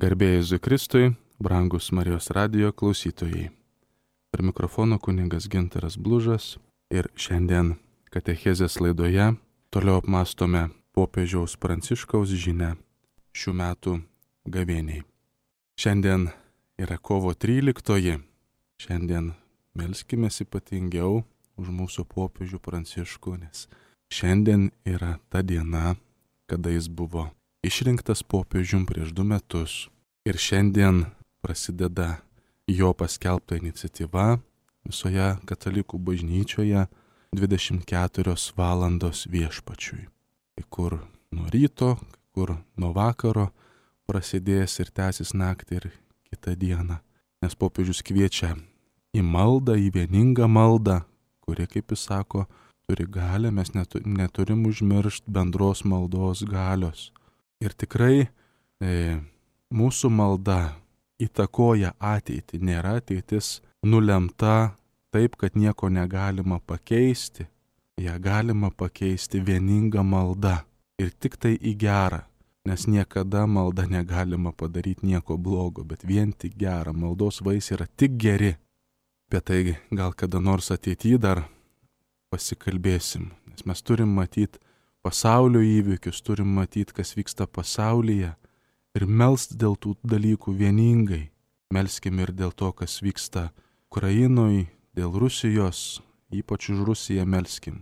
Garbė Jėzui Kristui, brangus Marijos radijo klausytojai. Per mikrofono kunigas Gintaras Blužas ir šiandien katechezės laidoje toliau apmastome popiežiaus Pranciškaus žinią šių metų gavėniai. Šiandien yra kovo 13. Šiandien melskimės ypatingiau už mūsų popiežių Pranciškų, nes šiandien yra ta diena, kada jis buvo išrinktas popiežium prieš 2 metus. Ir šiandien prasideda jo paskelbta iniciatyva visoje katalikų bažnyčioje 24 valandos viešpačiui. Kai kur nuo ryto, kai kur nuo vakaro prasidės ir tęsis naktį ir kitą dieną. Nes popiežius kviečia į maldą, į vieningą maldą, kuri, kaip jis sako, turi galią, mes neturim užmiršti bendros maldos galios. Ir tikrai mūsų malda įtakoja ateitį, nėra ateitis nulemta taip, kad nieko negalima pakeisti. Ja galima pakeisti vieninga malda ir tik tai į gerą, nes niekada malda negalima padaryti nieko blogo, bet vien tik gerą. Maldos vaisiai yra tik geri. Apie tai gal kada nors ateityje dar pasikalbėsim, nes mes turim matyti pasaulio įvykius, turim matyti, kas vyksta pasaulyje ir melst dėl tų dalykų vieningai. Melskim ir dėl to, kas vyksta Ukrainoje, dėl Rusijos, ypač už Rusiją melskim.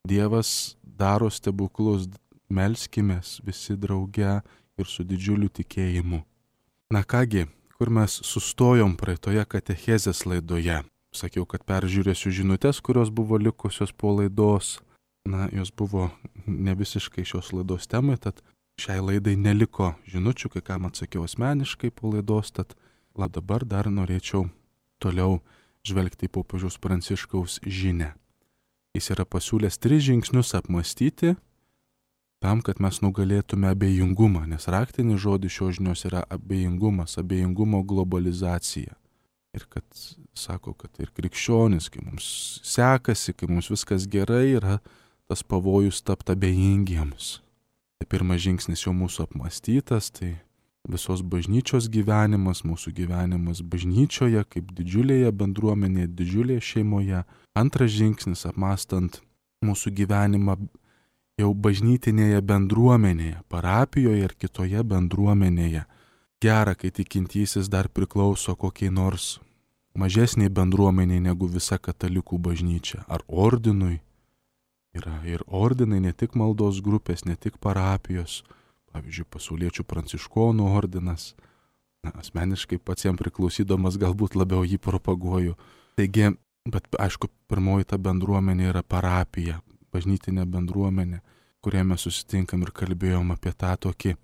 Dievas daro stebuklus, melskimės visi drauge ir su didžiuliu tikėjimu. Na kągi, kur mes sustojom praeitoje katechezės laidoje? Sakiau, kad peržiūrėsiu žinutės, kurios buvo likusios po laidos. Na, jos buvo ne visiškai šios laidos temai, tad šiai laidai neliko žinučių, kai kam atsakiau asmeniškai po laidos, tad dabar dar norėčiau toliau žvelgti į popiežiaus Pranciškaus žinią. Jis yra pasiūlęs 3 žingsnius apmastyti tam, kad mes nugalėtume abejingumą, nes raktinis žodis šios žinios yra abejingumas, abejingumo globalizacija. Ir kad sako, kad ir krikščionis, kai mums sekasi, kai mums viskas gerai, yra tas pavojus tapti abejingiems. Tai pirmas žingsnis jau mūsų apmastytas, tai visos bažnyčios gyvenimas, mūsų gyvenimas bažnyčioje, kaip didžiulėje bendruomenėje, didžiulėje šeimoje. Antras žingsnis apmastant mūsų gyvenimą jau bažnytinėje bendruomenėje, parapijoje ir kitoje bendruomenėje. Gera, kai tikintysis dar priklauso kokiai nors mažesniai bendruomeniai negu visa katalikų bažnyčia ar ordinui. Yra ir ordinai, ne tik maldos grupės, ne tik parapijos, pavyzdžiui, pasauliečių pranciškonų ordinas. Na, asmeniškai pats jam priklausydamas galbūt labiau jį propaguoju. Taigi, bet aišku, pirmoji ta bendruomenė yra parapija, bažnytinė bendruomenė, kurioje mes susitinkam ir kalbėjom apie tą tokį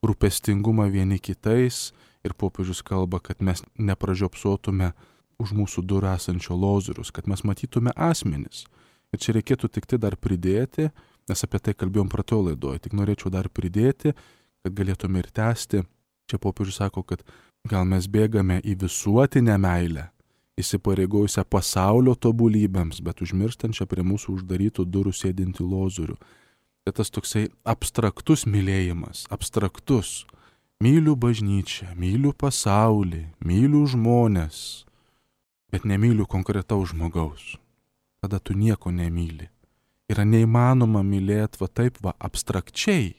rūpestingumą vieni kitais ir popiežius kalba, kad mes nepražiopsotume už mūsų durų esančio lozorius, kad mes matytume asmenis. Ir čia reikėtų tik tai dar pridėti, nes apie tai kalbėjom praeitoje laidoje, tik norėčiau dar pridėti, kad galėtume ir tęsti. Čia popiežius sako, kad gal mes bėgame į visuotinę meilę, įsipareigojusią pasaulio tobulybėms, bet užmirštančią prie mūsų uždarytų durų sėdinti lozorių. Tai tas toksai abstraktus mylėjimas, abstraktus. Myliu bažnyčią, myliu pasaulį, myliu žmonės, bet nemyliu konkretaus žmogaus. Tada tu nieko nemyli. Yra neįmanoma mylėti taip abstrakčiai.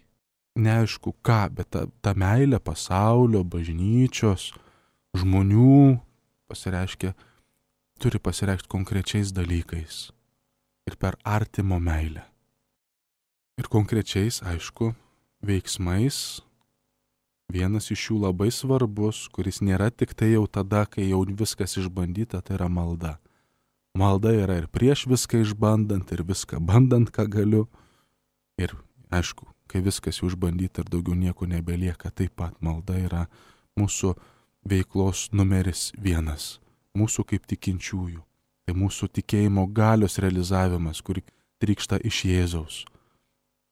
Neaišku ką, bet ta meilė pasaulio, bažnyčios, žmonių turi pasireikšti konkrečiais dalykais. Ir per artimo meilę. Ir konkrečiais, aišku, veiksmais. Vienas iš jų labai svarbus, kuris nėra tik tai jau tada, kai jau viskas išbandyta, tai yra malda. Malda yra ir prieš viską išbandant, ir viską bandant, ką galiu. Ir aišku, kai viskas jau išbandyta ir daugiau nieko nebelieka, taip pat malda yra mūsų veiklos numeris 1. Mūsų kaip tikinčiųjų. Tai mūsų tikėjimo galios realizavimas, kuri trykšta iš Jėzaus.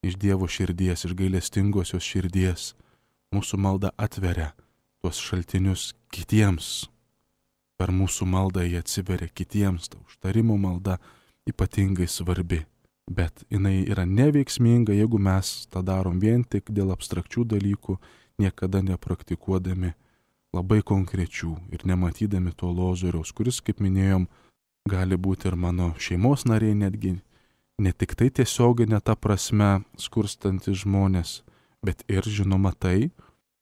Iš Dievo širdies, iš gailestingosios širdies. Mūsų malda atveria tuos šaltinius kitiems. Per mūsų maldą jie atsiveria kitiems, ta užtarimo malda ypatingai svarbi. Bet jinai yra neveiksminga, jeigu mes tą darom vien tik dėl abstrakčių dalykų, niekada nepraktikuodami labai konkrečių ir nematydami to lozoriaus, kuris, kaip minėjom, gali būti ir mano šeimos nariai, netgi ne tik tai tiesioginė ta prasme skurstantis žmonės, bet ir žinoma tai,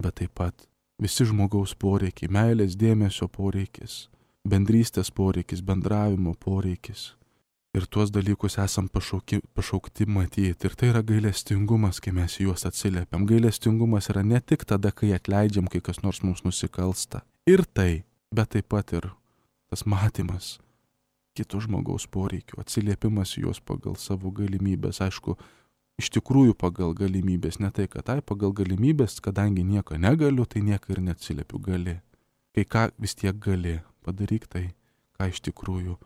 bet taip pat visi žmogaus poreikiai, meilės, dėmesio poreikis, bendrystės poreikis, bendravimo poreikis. Ir tuos dalykus esam pašaukti matyti. Ir tai yra gailestingumas, kai mes juos atsiliepiam. Gailestingumas yra ne tik tada, kai atleidžiam, kai kas nors mums nusikalsta. Ir tai, bet taip pat ir tas matymas kito žmogaus poreikių, atsiliepimas juos pagal savo galimybės. Aišku, iš tikrųjų pagal galimybės, ne tai, kad pagal galimybės, kadangi nieko negaliu, tai nieko ir neatsiliepiu, gali. Kai ką vis tiek gali, padaryk tai, ką iš tikrųjų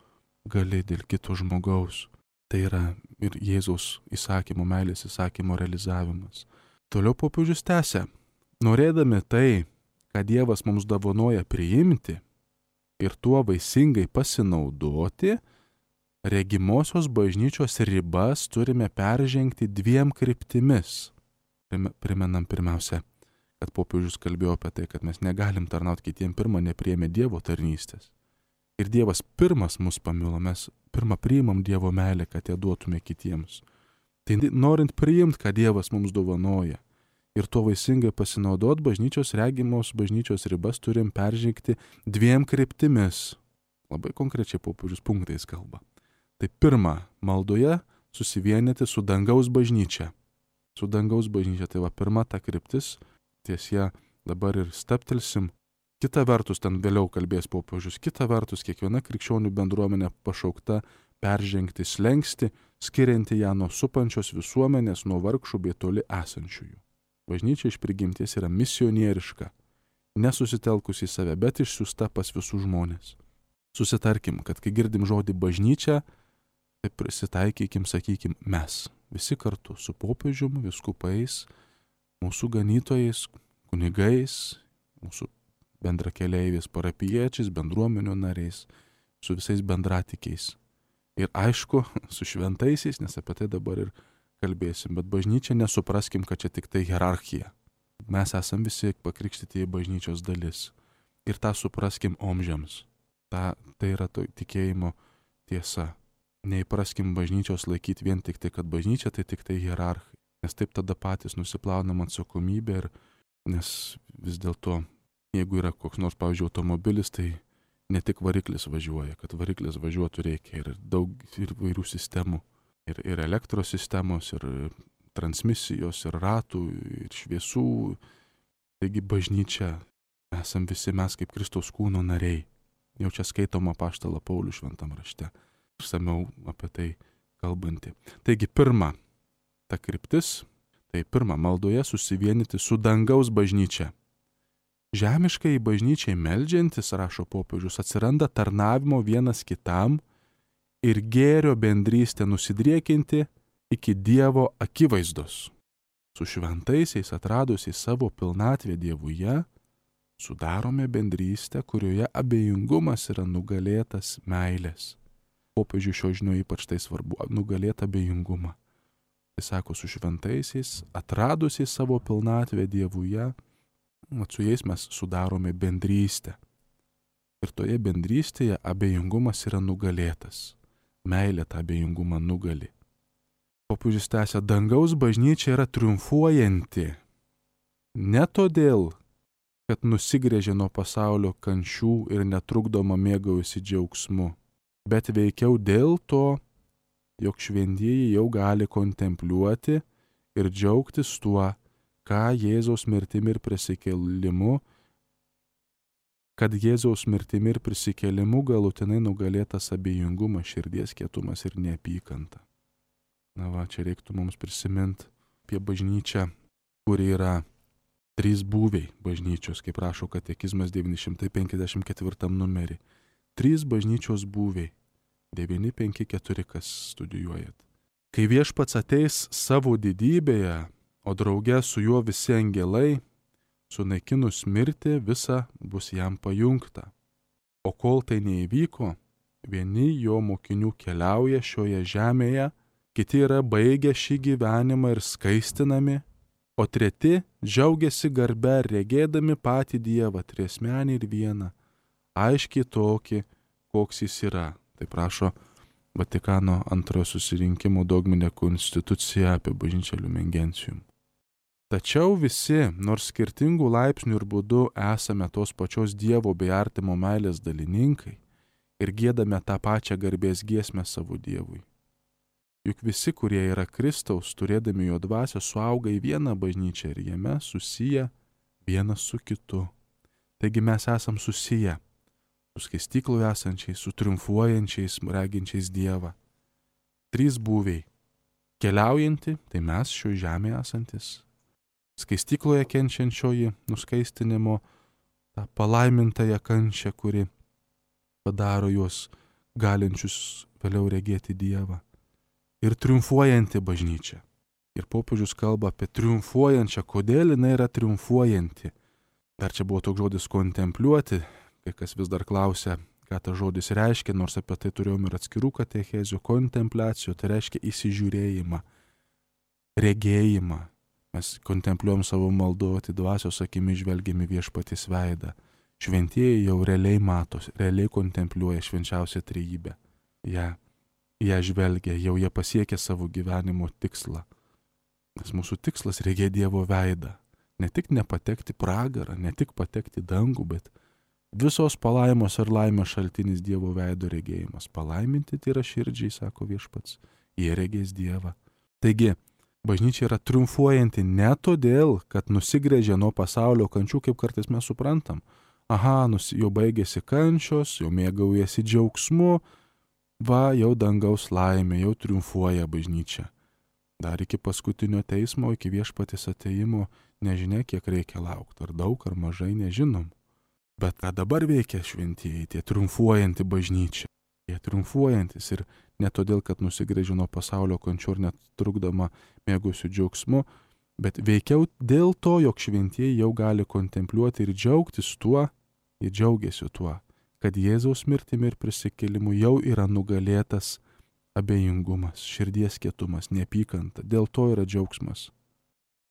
gali dėl kito žmogaus. Tai yra ir Jėzaus įsakymo, meilės įsakymo realizavimas. Toliau popiežius tęsia. Norėdami tai, ką Dievas mums dovanoja priimti ir tuo vaisingai pasinaudoti, regimosios bažnyčios ribas turime peržengti 2 kryptimis. Primenam pirmiausia, kad popiežius kalbėjo apie tai, kad mes negalim tarnauti kitiem, pirmą nepriėmė Dievo tarnystės. Ir Dievas pirmas mus pamilo, mes pirmą priimam Dievo meilę, kad ją duotume kitiems. Tai norint priimti, ką Dievas mums dovanoja ir tuo vaisingai pasinaudot, bažnyčios regimos bažnyčios ribas turim peržengti 2 kryptimis. Labai konkrečiai popiežius punktais kalba. Tai pirma, maldoje susivienyti su dangaus bažnyčia. Su dangaus bažnyčia, tai va pirma ta kryptis, ties ją dabar ir staptelsim. Kita vertus, ten vėliau kalbės popiežius, kita vertus, kiekviena krikščionių bendruomenė pašaukta peržengti slenkstį, skirianti ją nuo supančios visuomenės, nuo vargšų bei toli esančiųjų. Bažnyčia iš prigimties yra misionieriška, nesusitelkusi į save, bet išsiųsta pas visus žmonės. Susitarkim, kad kai girdim žodį bažnyčia, tai prisitaikykim, sakykim, mes visi kartu su popiežiumi, vyskupais, mūsų ganytojais, kunigais, mūsų bendrakeleiviais, parapiečiais, bendruomenių nariais, su visais bendratikiais. Ir aišku, su šventaisiais, nes apie tai dabar ir kalbėsim, bet bažnyčia nesupraskim, kad čia tik tai hierarchija. Mes esam visi pakrikštyti į bažnyčios dalis. Ir tą supraskim omžiams. Tai yra tikėjimo tiesa. Neįpraskim bažnyčios laikyti vien tik tai, kad bažnyčia tai tik tai hierarchai. Nes taip tada patys nusiplaunam atsakomybę ir nes vis dėlto jeigu yra koks nors, pavyzdžiui, automobilis, tai ne tik variklis važiuoja, kad variklis važiuotų reikia ir daug ir vairių sistemų, ir elektros sistemos, ir transmisijos, ir ratų, ir šviesų. Taigi bažnyčia esam visi mes kaip Kristaus kūno nariai. Jau čia skaitoma apaštalą Paulių šventam rašte. Išsamiau apie tai kalbanti. Taigi pirma, ta kryptis, tai pirma, maldoje susivienyti su dangaus bažnyčia. Žemiškai bažnyčiai meldžiantis, rašo popiežius, atsiranda tarnavimo vienas kitam ir gėrio bendrystė nusidriekinti iki Dievo akivaizdos. Su šventaisiais atradusiais savo pilnatvę Dievuje, sudarome bendrystę, kurioje abejingumas yra nugalėtas meilės. Popiežiui šio žinio ypač tai svarbu, nugalėti abejingumą. Tai sako, su šventaisiais atradusiais savo pilnatvę Dievuje, su jais mes sudarome bendrystę. Ir toje bendrystėje abejingumas yra nugalėtas. Meilė tą abejingumą nugali. Popiežius tęsia, dangaus bažnyčia yra triumfuojanti. Ne todėl, kad nusigręžė nuo pasaulio kančių ir netrukdoma mėgaujasi džiaugsmu, bet veikiau dėl to, jog šventieji jau gali kontempliuoti ir džiaugtis tuo, ką Jėzaus mirtimi ir prisikėlimu, kad Jėzaus mirtimi ir prisikėlimu galutinai nugalėtas abejingumas, širdies kietumas ir neapykanta. Na va, čia reiktų mums prisiminti apie bažnyčią, kuri yra 3 būviai bažnyčios, kaip rašo katekizmas 954 numerį. 3 bažnyčios būviai. 954, kas studijuojat. Kai Viešpats ateis savo didybėje, o drauge su juo visi angelai, sunaikinus mirtį, visa bus jam pajungta. O kol tai neįvyko, vieni jo mokinių keliauja šioje žemėje, kiti yra baigę šį gyvenimą ir skaistinami, o treti džiaugiasi garbe, regėdami patį Dievą, triasmenį ir vieną, aiškiai tokį, koks jis yra. Tai prašo Vatikano antrojo susirinkimo dogminė konstitucija apie bažnyčią Lumen Gentium. Tačiau visi, nors skirtingų laipsnių ir būdų, esame tos pačios Dievo bei artimo meilės dalininkai ir giedame tą pačią garbės giesmę savo Dievui. Juk visi, kurie yra Kristaus, turėdami jo dvasią, suauga į vieną bažnyčią ir jame susiję vienas su kitu. Taigi mes esam susiję su skaistykloje esančiais, su triumfuojančiais, reginčiais Dievą. Trys būviai. Keliaujanti, tai mes šioje žemėje esantis. Skaistykloje kenčiančioji nuskaistinimo, tą palaimintąją kančią, kuri padaro juos galinčius vėliau regėti Dievą. Ir triumfuojanti bažnyčia. Ir popiežius kalba apie triumfuojančią. Kodėl jinai yra triumfuojanti? Dar čia buvo toks žodis kontempliuoti, kai kas vis dar klausia, ką tas žodis reiškia, nors apie tai turėjom ir atskirų katechezių. Kontempliacijų, tai reiškia įsižiūrėjimą, regėjimą. Mes kontempliuojam savo malduoti, dvasios akimi žvelgiami viešpaties veidą. Šventieji jau realiai matos, realiai kontempliuoja švenčiausią trejybę. Jie žvelgia, jau jie pasiekė savo gyvenimo tikslą. Nes mūsų tikslas regėti Dievo veidą. Ne tik nepatekti pragarą, ne tik patekti dangų, bet visos palaimos ir laimės šaltinis Dievo veido regėjimas. Palaiminti tai yra širdžiai, sako viešpats, jie regės Dievą. Taigi, bažnyčia yra triumfuojanti ne todėl, kad nusigręžė nuo pasaulio kančių, kaip kartais mes suprantam. Aha, jau baigėsi kančios, jau mėgaujasi džiaugsmu, va, jau dangaus laimė, jau triumfuoja bažnyčia. Dar iki paskutinio teismo, iki viešpaties atėjimo, nežinia, kiek reikia laukti, ar daug, ar mažai, nežinom. Bet ką dabar veikia šventieji, tie triumfuojanti bažnyčia. Jie triumfuojantis ir ne todėl, kad nusigręžė nuo pasaulio kančių ir net trukdama mėgusių džiaugsmu, bet veikiau dėl to, jog šventieji jau gali kontempliuoti ir džiaugtis tuo, jie džiaugiasi tuo, kad Jėzaus mirtimi ir prisikėlimu jau yra nugalėtas abejingumas, širdies kietumas, neapykanta. Dėl to yra džiaugsmas.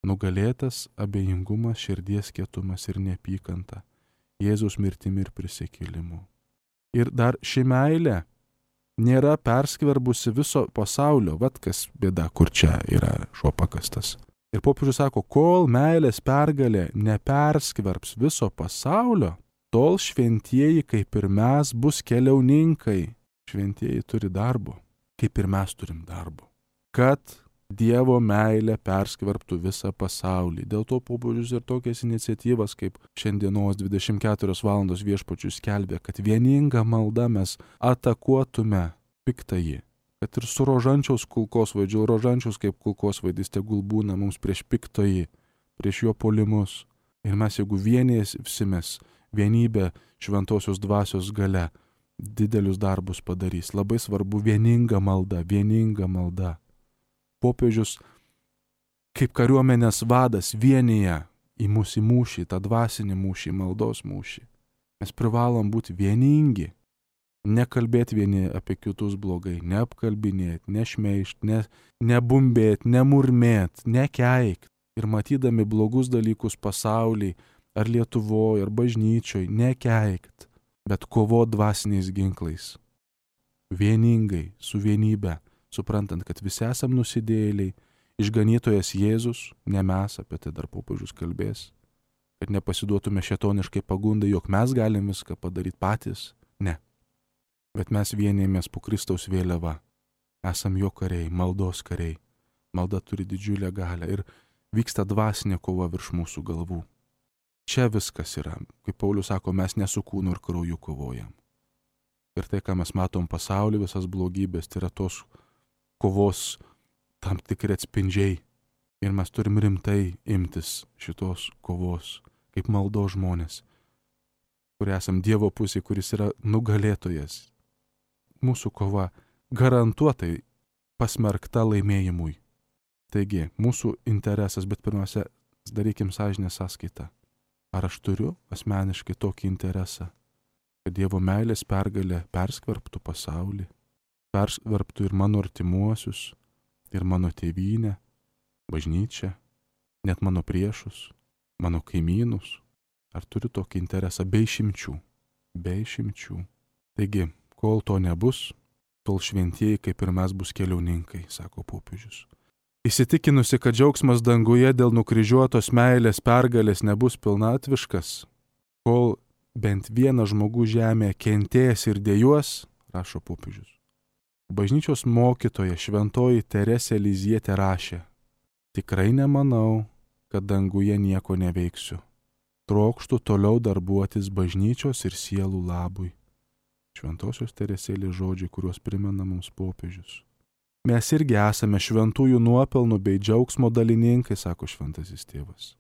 Nugalėtas abejingumas, širdies kietumas ir neapykanta. Jėzaus mirtimi ir prisikėlimu. Ir dar ši meilė nėra perskverbusi viso pasaulio. Vat kas bėda, kur čia yra šuo pakastas. Ir popiežius sako, kol meilės pergalė neperskverbs viso pasaulio, tol šventieji, kaip ir mes, bus keliauninkai. Šventieji turi darbo, kaip ir mes turim darbo. Kad Dievo meilė perskverbtų visą pasaulį. Dėl to popiežius ir tokias iniciatyvas, kaip šiandienos 24 valandos viešpačius skelbė, kad vieninga malda mes atakuotume piktąjį. Kad ir su rožančiaus kulkosvaidžiu, rožančiaus kaip kulkosvaidis tegul būna mums prieš piktąjį, prieš jo puolimus. Ir mes, jeigu vienėsimės, vienybė šventosios dvasios gale didelius darbus padarys. Labai svarbu vieninga malda, vieninga malda. Popiežius kaip kariuomenės vadas vienyje į mūsų mūšį, tą dvasinį mūšį, maldos mūšį. Mes privalom būti vieningi, nekalbėti vieni apie kitus blogai, neapkalbinėti, nešmeišti, nebumbėti, nemurmėti, nekeikti. Ir matydami blogus dalykus pasaulyje, ar Lietuvoje, ar bažnyčioje, nekeikt, bet kovot dvasiniais ginklais. Vieningai, su vienybe, suprantant, kad visi esam nusidėjėliai, išganytojas Jėzus, ne mes, apie tai dar popiežius kalbės, kad nepasiduotume šėtoniškai pagundai, jog mes galim viską padaryti patys, ne. Bet mes vienėjomės po Kristaus vėliava, esam jo kariai, maldos kariai, malda turi didžiulę galią ir vyksta dvasinė kova virš mūsų galvų. Čia viskas yra. Kaip Paulius sako, mes ne su kūnu ir krauju kovojam. Ir tai, ką mes matom pasaulyje, visas blogybės, tai yra tos kovos tam tikri atspindžiai. Ir mes turim rimtai imtis šitos kovos, kaip maldos žmonės, kurie esam Dievo pusėje, kuris yra nugalėtojas. Mūsų kova garantuotai pasmerkta laimėjimui. Taigi, mūsų interesas, bet pirmiausia, darykim sąžinės sąskaitą. Ar aš turiu asmeniškai tokį interesą, kad Dievo meilės pergalė perskverbtų pasaulį, perskverbtų ir mano artimuosius, ir mano tėvynę, bažnyčią, net mano priešus, mano kaimynus. Ar turiu tokį interesą be išimčių? Be išimčių. Taigi, kol to nebus, tol šventieji kaip ir mes bus keliauninkai, sako popiežius. Įsitikinusi, kad džiaugsmas danguje dėl nukryžiuotos meilės pergalės nebus pilnatviškas, kol bent vienas žmogus žemėje kentės ir dejuos, rašo popiežius. Bažnyčios mokytoja šventoji Teresė Lizietė rašė: tikrai nemanau, kad danguje nieko neveiksiu. Trokštu toliau darbuotis bažnyčios ir sielų labui. Šventosios Teresėlės žodžiai, kuriuos primena mums popiežius. Mes irgi esame šventųjų nuopelnų bei džiaugsmo dalininkai, sako šventasis tėvas.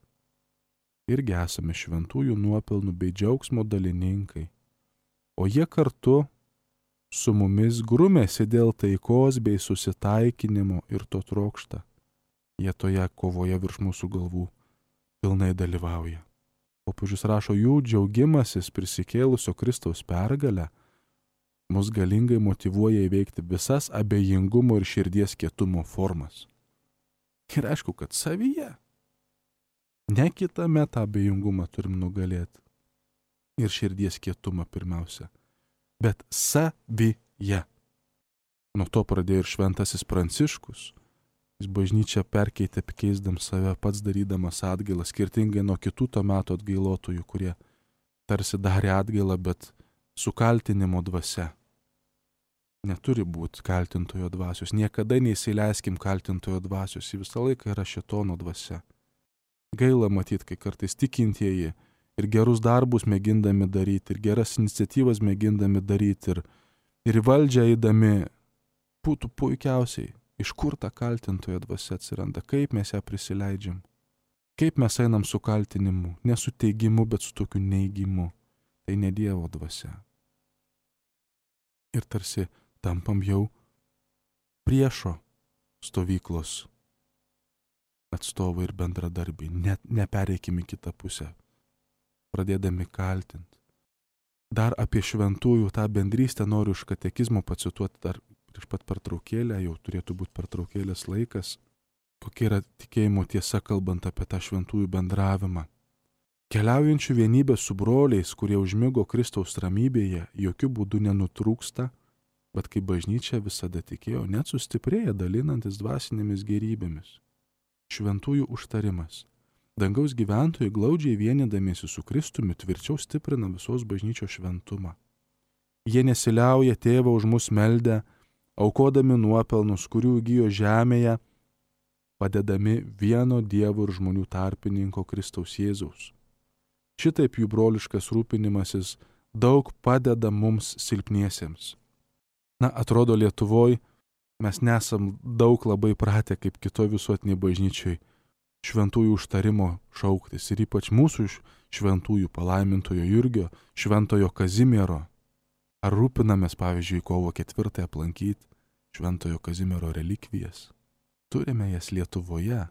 Irgi esame šventųjų nuopelnų bei džiaugsmo dalininkai. O jie kartu su mumis grumėsi dėl taikos bei susitaikinimo ir to trokšta. Jie toje kovoje virš mūsų galvų pilnai dalyvauja. Popiežius rašo, jų džiaugimasis prisikėlusio Kristaus pergalę mus galingai motyvuoja įveikti visas abejingumo ir širdies kietumo formas. Ir aišku, kad savyje. Ne kitame tą abejingumą turim nugalėti. Ir širdies kietumą pirmiausia. Bet savyje. Nuo to pradėjo ir šventasis Pranciškus. Jis bažnyčią perkeitė keisdam save, pats darydamas atgailą, skirtingai nuo kitų to meto atgailotojų, kurie tarsi darė atgailą, bet su kaltinimo dvasia. Neturi būti kaltintojo dvasios. Niekada neįsileiskim kaltintojo dvasios. Ji visą laiką yra šėtono dvasia. Gaila matyti, kai kartais tikintieji ir gerus darbus mėgindami daryti, ir geras iniciatyvas mėgindami daryti, ir į valdžią eidami, būtų puikiausiai, iš kur ta kaltintojo dvasia atsiranda, kaip mes ją prisileidžiam, kaip mes einam su kaltinimu, ne su teigimu, bet su tokiu neigimu. Tai ne Dievo dvasia. Ir tarsi tampam jau priešo stovyklos atstovai ir bendradarbiai. Net nepereikim į kitą pusę, pradėdami kaltinti. Dar apie šventųjų tą bendrystę noriu iš katekizmo pacituoti dar prieš pat pertraukėlę, jau turėtų būti pertraukėlės laikas. Kokia yra tikėjimo tiesa, kalbant apie tą šventųjų bendravimą. Keliaujančių vienybė su broliais, kurie užmigo Kristaus ramybėje, jokių būdų nenutrūksta, bet kaip bažnyčia visada tikėjo, net sustiprėja dalinantis dvasinėmis gėrybėmis. Šventųjų užtarimas. Dangaus gyventojai glaudžiai vienydamiesi su Kristumi tvirčiau stiprina visos bažnyčios šventumą. Jie nesiliauja tėvą už mus meldę, aukodami nuopelnus, kurių įgijo žemėje, padedami vieno Dievo ir žmonių tarpininko Kristaus Jėzaus. Šitaip jų broliškas rūpinimasis daug padeda mums silpniesiems. Atrodo Lietuvoje mes nesam daug labai pratę kaip kitoj visuotiniai bažnyčiai šventųjų užtarimo šauktis ir ypač mūsų šventųjų palaimintojo Jurgio, šventojo Kazimiero. Ar rūpinamės, pavyzdžiui, kovo 4 aplankyti šventojo Kazimiero relikvijas? Turime jas Lietuvoje,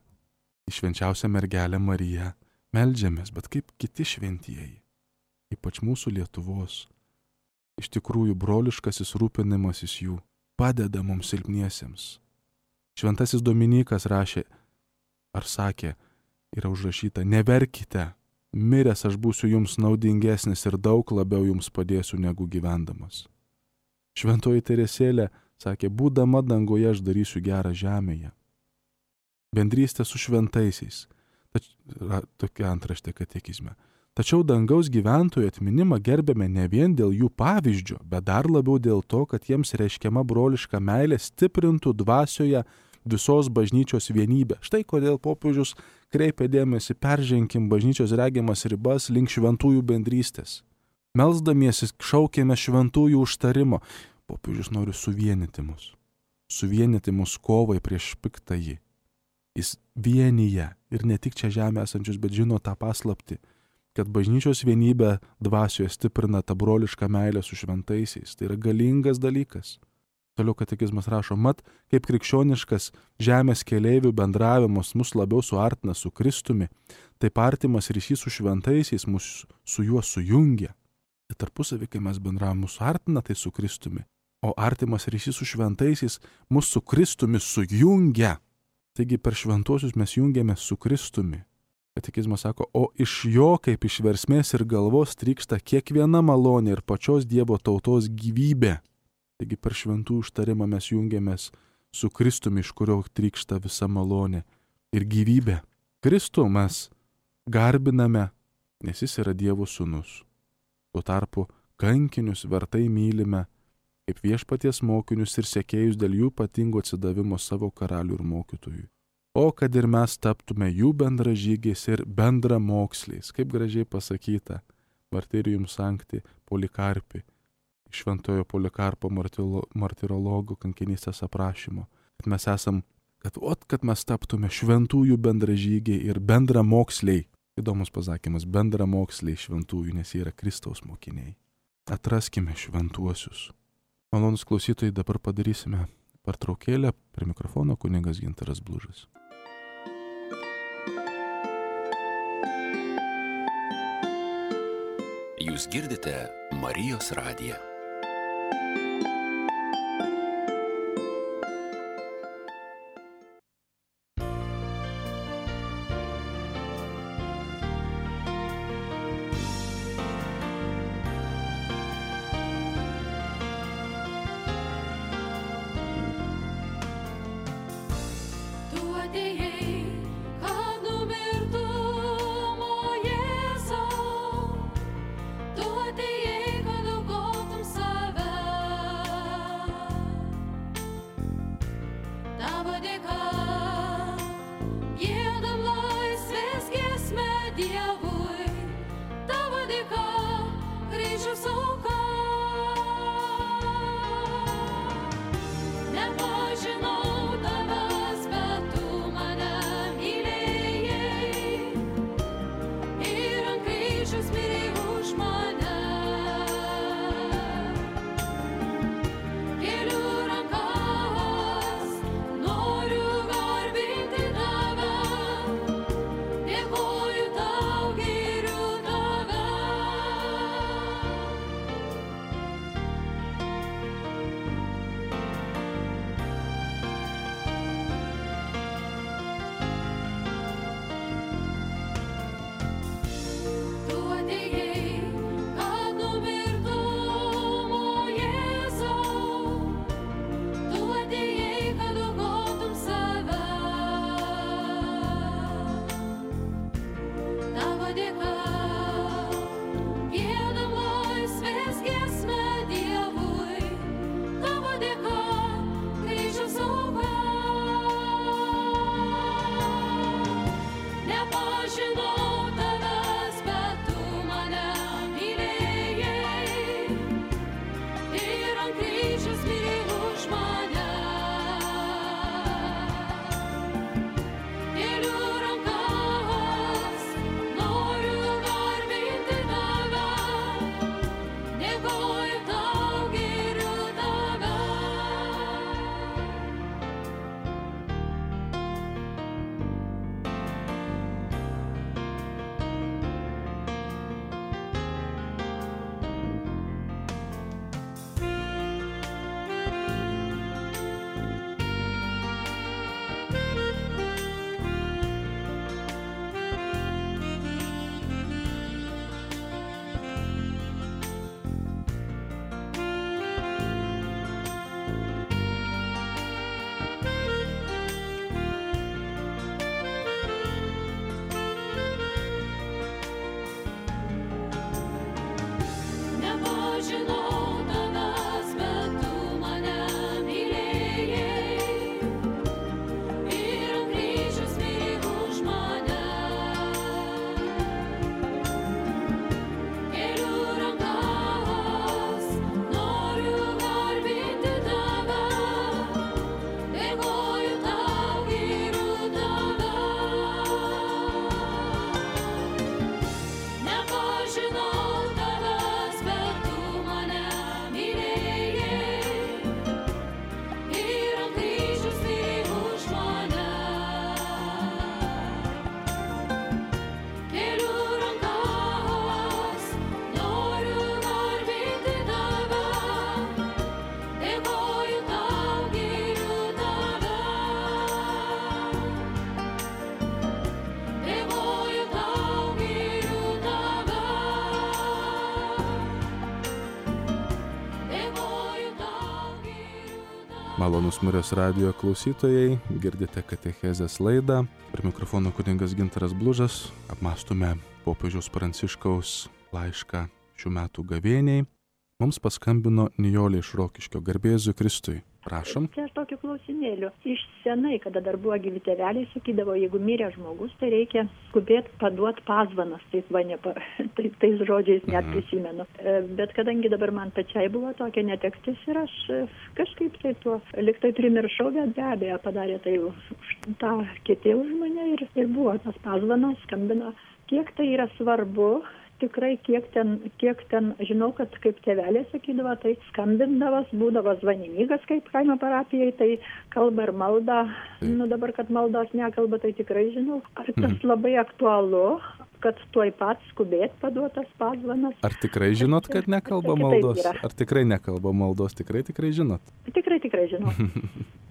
į švenčiausią mergelę Mariją meldžiamės, bet kaip kiti šventieji, ypač mūsų Lietuvos, iš tikrųjų broliškasis rūpinimasis jų padeda mums silpniesiems. Šventasis Dominikas rašė, ar sakė, yra užrašyta, neverkite, miręs aš būsiu jums naudingesnis ir daug labiau jums padėsiu negu gyvendamas. Šventoji Teresėlė sakė, būdama dangoje aš darysiu gerą žemėje. Bendrystė su šventaisiais. Tokia antraštė katekizme. Tačiau dangaus gyventojų atminimą gerbėme ne vien dėl jų pavyzdžio, bet dar labiau dėl to, kad jiems reiškiama broliška meilė stiprintų dvasioje visos bažnyčios vienybę. Štai kodėl popiežius kreipia dėmesį, perženkim bažnyčios regiamas ribas link šventųjų bendrystės. Melsdamiesi šaukėme šventųjų užtarimo. Popiežius nori suvienyti mus kovai prieš piktąjį. Jis vienyje ir ne tik čia žemė esančius, bet žino tą paslaptį, kad bažnyčios vienybę dvasioje stiprina tą brolišką meilę su šventaisiais. Tai yra galingas dalykas. Toliau katekizmas rašo, mat, kaip krikščioniškas žemės keleivių bendravimas mus labiau suartina su Kristumi, taip artimas ryšys su šventaisiais mus su juo sujungia. Ir tarpusavį, kai mes bendravom, mus suartina tai su Kristumi, o artimas ryšys su šventaisiais mus su Kristumi sujungia. Taigi per šventuosius mes jungiamės su Kristumi. Katekizmas sako, o iš jo kaip iš versmės ir galvos trykšta kiekviena malonė ir pačios Dievo tautos gyvybė. Taigi per šventų užtarimą mes jungiamės su Kristumi, iš kurio trykšta visa malonė ir gyvybė. Kristų mes garbiname, nes jis yra Dievo sūnus. Tuo tarpu kankinius vertai mylime kaip viešpaties mokinius ir sekėjus dėl jų ypatingo atsidavimo savo karalių ir mokytojui. O kad ir mes taptume jų bendražygiais ir bendramoksliais, kaip gražiai pasakyta Martyrium Sancti Polikarpi, šventojo Polikarpo martirologo kankinystės aprašymo, kad mes taptume šventųjų bendražygiai ir bendramoksliai. Įdomus pasakymas, bendramoksliai šventųjų, nes jie yra Kristaus mokiniai. Atraskime šventuosius. Malonūs klausytojai, dabar padarysime pertraukėlę. Prie mikrofono kunigas Gintaras Blužas. Jūs girdite Marijos radiją. Tu atėjai, kad aukotum Malonus Marijos radijo klausytojai, girdite katechezės laidą. Prie mikrofono kunigas Gintaras Blužas. Apmąstume popiežiaus Pranciškaus laišką šių metų gavėniai. Mums paskambino Nijolė iš Rokiškio. Garbė Jėzui Kristui. Prašom. Čia aš tokiu klausimėliu. Iš senai, kada dar buvo gyvi tėveliai, sakydavo, jeigu mirė žmogus, tai reikia skubėti paduoti pazvanas. Tais žodžiais net prisimenu. Bet kadangi dabar man pačiai buvo tokia netektis ir aš kažkaip tai tuo liktai primiršau, bet be abejo padarė tai tą kiti už mane ir buvo tas pazvanas, skambino. Kiek tai yra svarbu? Tikrai kiek ten, žinau, kad kaip tėvelė sakydavo, tai skambindavas, būdavo zvanininkas kaip kaimo parapijai, tai kalba ir malda. Dabar, kad maldos nekalba, tai tikrai žinau. Ar tas labai aktualu, kad tuoj pat skubėt paduotas pazvanas? Ar tikrai žinot, kad nekalba maldos? Ar tikrai nekalba maldos? Tikrai žinot? Tikrai žinau.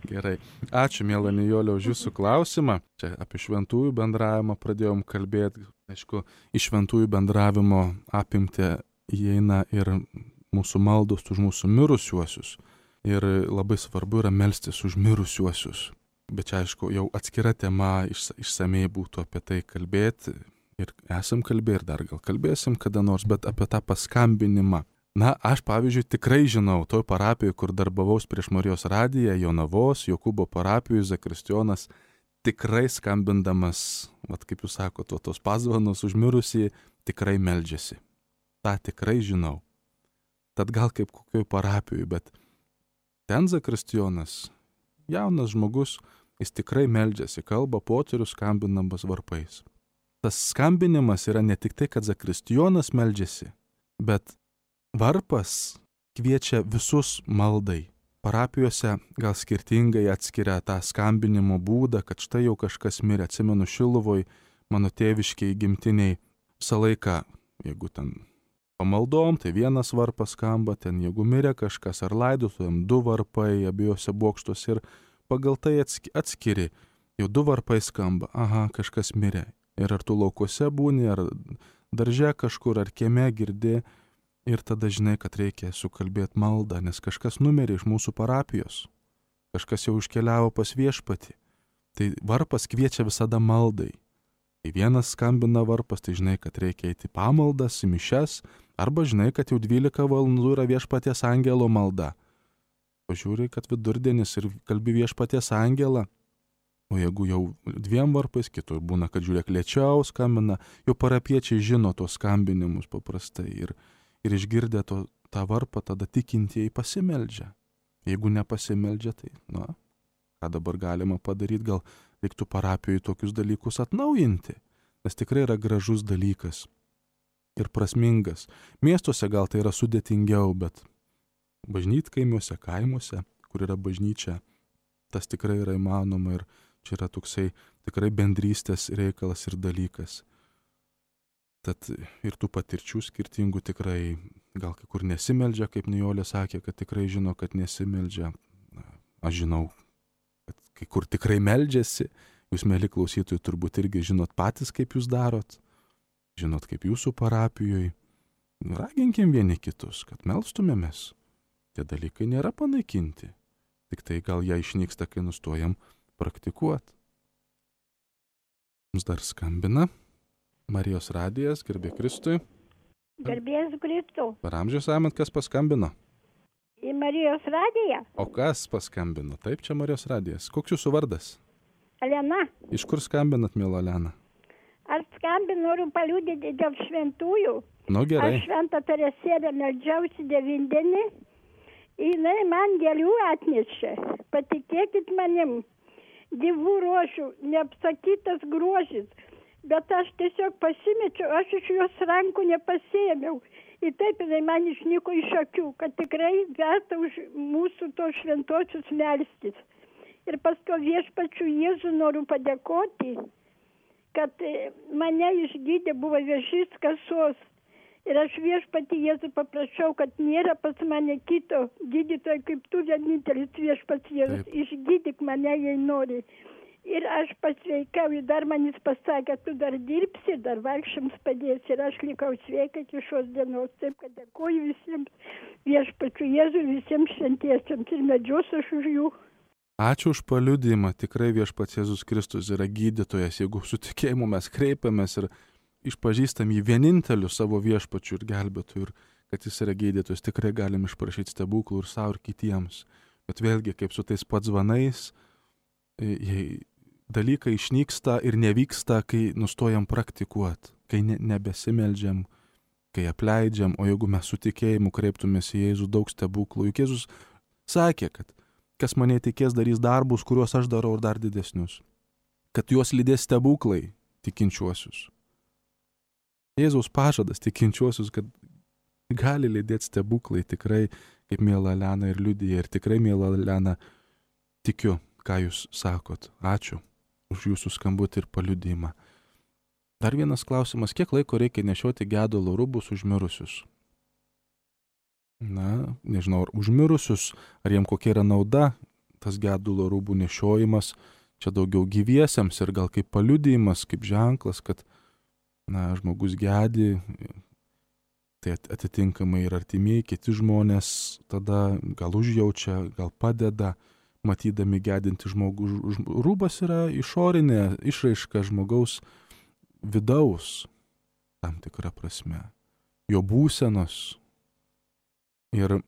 Gerai. Ačiū, miela Nijolė, už jūsų klausimą. Čia apie šventųjų bendravimą pradėjom kalbėti. Aišku, iš šventųjų bendravimo apimti įeina ir mūsų maldos už mūsų mirusiuosius. Ir labai svarbu yra melstis už mirusiuosius. Bet čia, aišku, jau atskira tema, išsamei būtų apie tai kalbėti. Ir esam kalbėję ir dar gal kalbėsim kada nors, bet apie tą paskambinimą. Na, aš, pavyzdžiui, tikrai žinau, toj parapijoje, kur darbavaus prieš Marijos radiją, Jonavos, Jokūbo parapijų, Zakristijonas, tikrai skambindamas, kaip jūs sakote, tos pazvanus užmirusį, tikrai meldžiasi. Ta tikrai žinau. Tad gal kaip kokioj parapijoje, bet ten Zakristijonas, jaunas žmogus, jis tikrai meldžiasi, kalba poterius skambinamas varpais. Tas skambinimas yra ne tik tai, kad Zakristijonas meldžiasi, bet varpas kviečia visus maldai. Parapijose gal skirtingai atskiria tą skambinimo būdą, kad štai jau kažkas mirė. Atsimenu Šiluvoj, mano tėviškiai gimtiniai, visą laiką, jeigu ten pamaldom, tai vienas varpas skamba, ten jeigu mirė kažkas ar laidotuvėm, 2 varpai abiejose bokštuose ir pagal tai atskiri. Jau 2 varpai skamba, kažkas mirė. Ir ar tu laukuose būni, ar darže kažkur, ar kieme girdi. Ir tada žinai, kad reikia sukalbėti maldą, nes kažkas numirė iš mūsų parapijos. Kažkas jau iškeliavo pas viešpatį. Tai varpas kviečia visada maldai. Kai vienas skambina varpas, tai žinai, kad reikia eiti pamaldas, į mišias, arba žinai, kad jau 12 valandų yra viešpaties angelo malda. Pažiūrė, kad vidurdienis ir kalbi viešpaties angelą. O jeigu jau 2 varpais, kitur būna, kad žiūrėk lėčiau skambina, jau parapiečiai žino tos skambinimus paprastai. Ir išgirdę tą varpą, tada tikintieji pasimeldžia. Jeigu nepasimeldžia, tai, ką dabar galima padaryti, gal reiktų parapijoje tokius dalykus atnaujinti, nes tikrai yra gražus dalykas ir prasmingas. Miestuose gal tai yra sudėtingiau, bet bažnytkaimiuose, kaimuose, kur yra bažnyčia, tas tikrai yra įmanoma ir čia yra toksai tikrai bendrystės reikalas ir dalykas. Tad ir tų patirčių skirtingų tikrai, gal kai kur nesimeldžia, kaip Nijolė sakė, kad tikrai žino, kad nesimeldžia. Aš žinau, kad kai kur tikrai meldžiasi. Jūs, mėly klausytojai, turbūt irgi žinot patys, kaip jūs darot. Žinot, kaip jūsų parapijoje. Raginkim vieni kitus, kad melstumėmės. Tie dalykai nėra panaikinti. Tik tai gal jie išnyksta, kai nustojam praktikuoti. Mums dar skambina Marijos radijas, garbė Kristui. Garbės Kristui. Per amžius amant, kas paskambino? Į Marijos radiją. O kas paskambino? Taip, čia Marijos radijas. Koks jūsų vardas? Elena. Iš kur skambinat, mėla Elena? Aš skambinu, noriu paliudyti dėl šventųjų. Gerai. Aš šventą Teresėlę meldžiausi 9 dienų. Jinai man gėlių atnešė. Patikėkit manim. Dievų rožių, neapsakytas grožis. Bet aš tiesiog pasimečiau, aš iš jos rankų nepasiėmiau. Ir taip jinai man išnyko iš akių, kad tikrai verta už mūsų tos šventosius melstis. Ir paskui viešpačiu Jėzų noriu padėkoti, kad mane išgydė, buvo vėžys kasos. Ir aš viešpatį Jėzų paprašiau, kad nėra pas mane kito gydytojo, kaip tu vienintelis viešpats Jėzus. Išgydyk mane, jei nori. Ir aš pasveikau, ir dar manis pasakė, tu dar dirbsi, dar vargšiams padėsi. Ir aš likau sveika iki šios dienos. Taip, kad dėkoju visiems viešpačiu Jėzui, visiems šventiesiems ir medžiosiu aš už jų. Ačiū už paliudijimą. Tikrai viešpats Jėzus Kristus yra gydytojas. Jeigu su tikėjimu mes kreipiamės ir išpažįstam jį vieninteliu savo viešpačiu ir gelbėtoju, ir kad jis yra gydytojas, tikrai galim išprašyti stebuklų ir savo ir kitiems. Bet vėlgi, kaip su tais padzvanais, dalykai išnyksta ir nevyksta, kai nustojam praktikuoti, kai nebesimeldžiam, kai apleidžiam, o jeigu mes su tikėjimu kreiptumės į Jėzų, daug stebuklų. Juk Jėzus sakė, kad kas mane tikės darys darbus, kuriuos aš darau ir dar didesnius, kad juos lydės stebuklai tikinčiuosius. Jėzaus pažadas tikinčiuosius, kad gali lydėti stebuklai, tikrai, kaip miela Elena ir liudija, ir tikrai, miela Elena, tikiu, ką jūs sakot. Ačiū už jūsų skambutį ir paliudijimą. Dar vienas klausimas, kiek laiko reikia nešioti gedulo rūbus užmirusius? Na, nežinau, ar užmirusius, ar jiem kokia yra nauda tas gedulo rūbų nešiojimas, čia daugiau gyviesiems ir gal kaip paliudijimas, kaip ženklas, kad, na, žmogus gedi, tai atitinkamai ir artimieji, kiti žmonės tada gal užjaučia, gal padeda, matydami gedinti žmogų. Rūbas yra išorinė išraiška žmogaus vidaus, tam tikra prasme, jo būsenos. Ir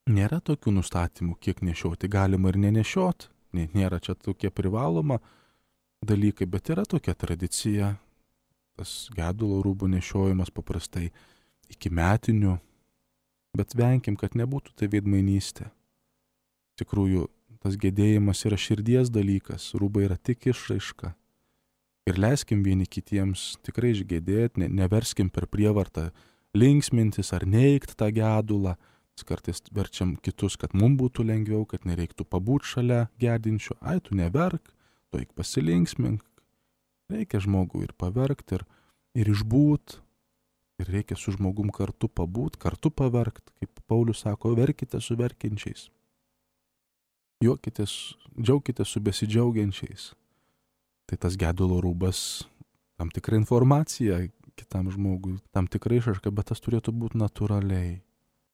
nėra tokių nustatymų, kiek nešioti, galima ir nenešioti, nėra čia tokie privaloma dalykai, bet yra tokia tradicija, tas gedulo rūbų nešiojimas paprastai iki metinių, bet venkim, kad nebūtų tai veidmainystė. Tikrųjų, tas gedėjimas yra širdies dalykas, rūbai yra tik išraiška. Ir leiskim vieni kitiems tikrai išgedėti, neverskim per prievartą linksmintis ar neigti tą gedulą. Kartais verčiam kitus, kad mums būtų lengviau, kad nereiktų pabūti šalia gedinčio. Ai, tu neverk, tu eik pasilinksmink. Reikia žmogų ir paverkti, ir išbūt. Ir reikia su žmogum kartu pabūt, kartu paverkt. Kaip Paulius sako, verkite su verkiančiais. Juokitės, džiaukitės su besidžiaugiančiais. Tai tas gedulo rūbas, tam tikra informacija kitam žmogui, tam tikra išraiška, bet tas turėtų būti natūraliai.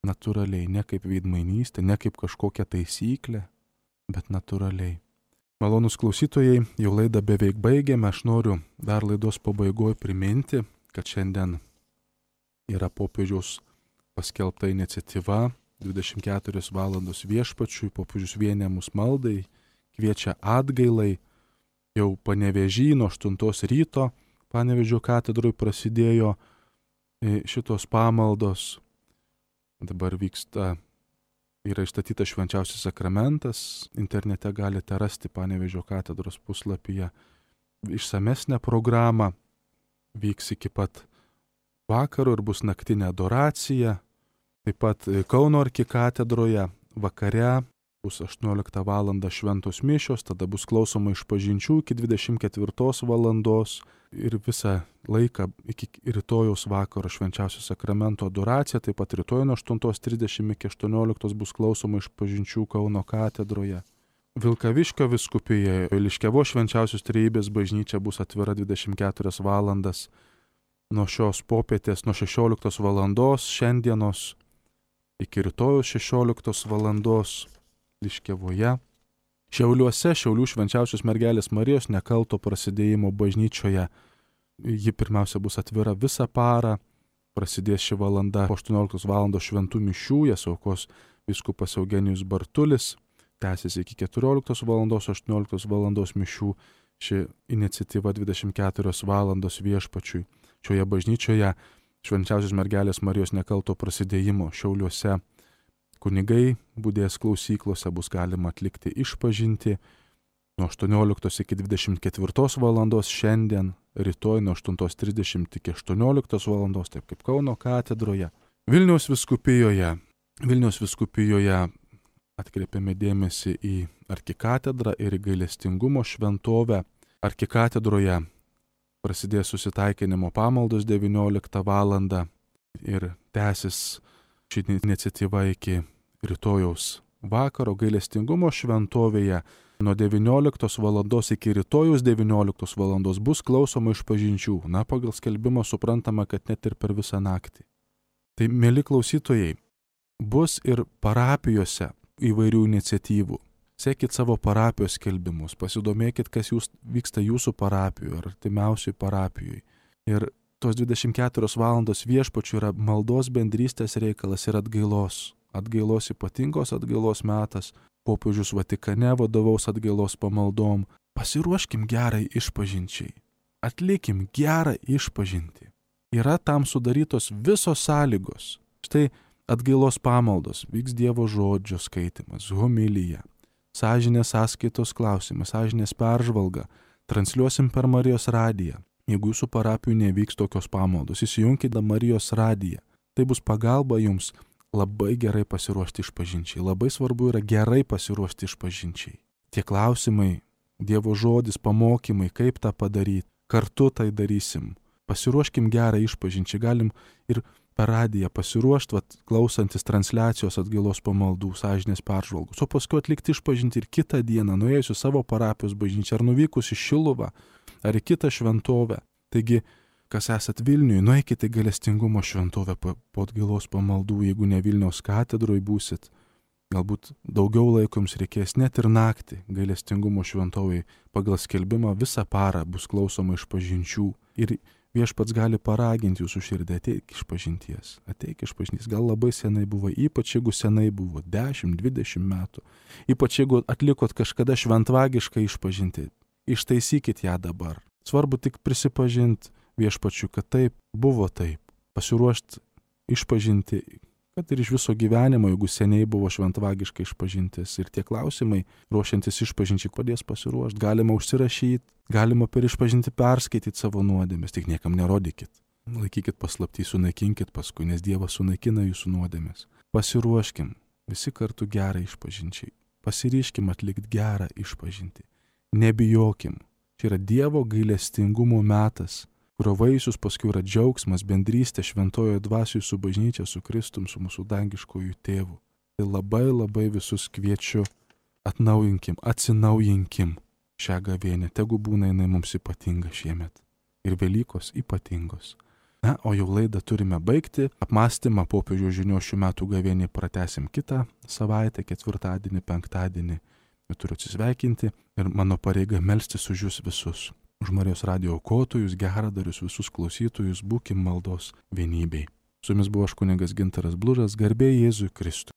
Natūraliai, ne kaip veidmainystė, ne kaip kažkokia taisyklė, bet natūraliai. Malonūs klausytojai, jau laidą beveik baigėme, aš noriu dar laidos pabaigoje priminti, kad šiandien yra popiežiaus paskelbta iniciatyva 24 valandos viešpačiui, popiežius vienė mus maldai, kviečia atgailai, jau Panevėžy nuo 8 ryto Panevėžio katedroje prasidėjo šitos pamaldos. Dabar vyksta, yra išstatytas švenčiausias sakramentas, internete galite rasti Panevėžio katedros puslapyje išsamesnę programą, vyks iki pat vakaro ir bus naktinė adoracija, taip pat Kauno arkikatedroje vakare bus 18 val. Šventos mišios, tada bus klausoma išpažinčių iki 24 valandos ir visą laiką iki rytojaus vakaro švenčiausio sakramento adoracija, taip pat rytoj nuo 8:30 iki 18 bus klausoma išpažinčių Kauno katedroje. Vilkaviškio vyskupijoje Liškiavos švenčiausios trejybės bažnyčia bus atvira 24 valandas nuo šios popietės, nuo 16 valandos šiandienos iki rytojus 16 valandos Liškiavoje. Šiauliuose, Šiaulių švenčiausios mergelės Marijos nekalto prasidėjimo bažnyčioje. Ji pirmiausia bus atvira visą parą, prasidės ši valanda po 18 valandos šventų mišių, jas aukos vyskupas Eugenijus Bartulis, tęsis iki 14 valandos, 18 valandos mišių, ši iniciatyva 24 valandos viešpačiui. Šioje bažnyčioje švenčiausios mergelės Marijos nekalto prasidėjimo Šiauliuose kunigai budės klausyklose, bus galima atlikti išpažinti nuo 18 iki 24 valandos šiandien, rytoj nuo 8:30 iki 18 valandos, taip kaip Kauno katedroje. Vilniaus vyskupijoje atkreipiame dėmesį į arkikatedrą ir į gailestingumo šventovę. Arkikatedroje prasidės susitaikinimo pamaldos 19 valandą ir tęsis ši iniciatyva iki rytojaus vakaro. Gailestingumo šventovėje nuo 19 valandos iki rytojus 19 valandos bus klausoma išpažinčių. Na, pagal skelbimą suprantama, kad net ir per visą naktį. Tai, mėly klausytojai, bus ir parapijose įvairių iniciatyvų. Sekit savo parapijos skelbimus, pasidomėkit, kas vyksta jūsų parapijoje ar artimiausiai parapijoje. Ir tos 24 valandos viešpačių yra maldos bendrystės reikalas ir atgailos. Atgailos ypatingos atgailos metas. Popiežius Vatikane vadovaus atgailos pamaldom. Pasiruoškim gerai išpažinčiai. Atlikim gerą išpažintį. Yra tam sudarytos visos sąlygos. Štai atgailos pamaldos, vyks Dievo žodžio skaitimas, homilija, sąžinės sąskaitos klausimas, sąžinės peržvalga, transliuosim per Marijos radiją. Jeigu jūsų parapijų nevyks tokios pamaldos, įsijunkite Marijos radiją. Tai bus pagalba jums labai gerai pasiruošti išpažinčiai. Labai svarbu yra gerai pasiruošti išpažinčiai. Tie klausimai, Dievo žodis, pamokymai, kaip tą padaryti, kartu tai darysim. Pasiruoškim gerą išpažinčiai. Galim ir per radiją pasiruošti, klausantis transliacijos atgailos pamaldų, sąžinės peržvalgos, o paskui atlikti išpažinti ir kitą dieną, nuėjusi savo parapijos bažnyčią, ar nuvykus į Šiluvą, ar į kitą šventovę. Taigi, kas esat Vilniuje, nueikite į Gailestingumo šventovę po atgailos pamaldų, jeigu ne Vilniaus katedroje būsit. Galbūt daugiau laiko jums reikės, net ir naktį Gailestingumo šventovėje pagal skelbimą visą parą bus klausoma išpažinčių. Ir viešpats gali paraginti jūsų širdį, ateik išpažinties, ateik išpažinties. Gal labai senai buvo, ypač jeigu senai buvo, 10-20 metų. Ypač jeigu atlikot kažkada šventvagišką išpažinti, ištaisykit ją dabar. Svarbu tik prisipažinti viešpačiu, kad taip, buvo taip. Pasiruošti išpažinti, kad ir iš viso gyvenimo, jeigu seniai buvo šventvagiškai išpažintis. Ir tie klausimai, ruošiantis išpažinčiai, padės pasiruošti. Galima užsirašyti, galima per išpažinti perskaityti savo nuodėmes, tik niekam nerodykit. Laikykit paslaptį, sunaikinkit paskui, nes Dievas sunaikina jūsų nuodėmes. Pasiruoškim visi kartu gerą išpažinčiai. Pasiryškim atlikti gerą išpažinti. Nebijokim. Čia yra Dievo gailestingumo metas, kurio vaisius paskui yra džiaugsmas, bendrystė šventojoje dvasioje su bažnyčia, su Kristum, su mūsų dangiškojų tėvu. Tai labai visus kviečiu, atnaujinkim, atsinaujinkim šią gavėnią. Tegu būna jinai mums ypatinga šiemet. Ir Velykos ypatingos. Na, o jau laidą turime baigti. Apmąstymą popiežiaus žinios šių metų gavėnį pratęsim kitą savaitę, ketvirtadienį, penktadienį. Turiu atsisveikinti ir mano pareiga melstis už jūs visus. Už Marijos radijo aukotojus, geradarius, visus klausytojus, būkim maldos vienybei. Su jumis buvo aš kunigas Gintaras Blužas, garbė Jėzui Kristui.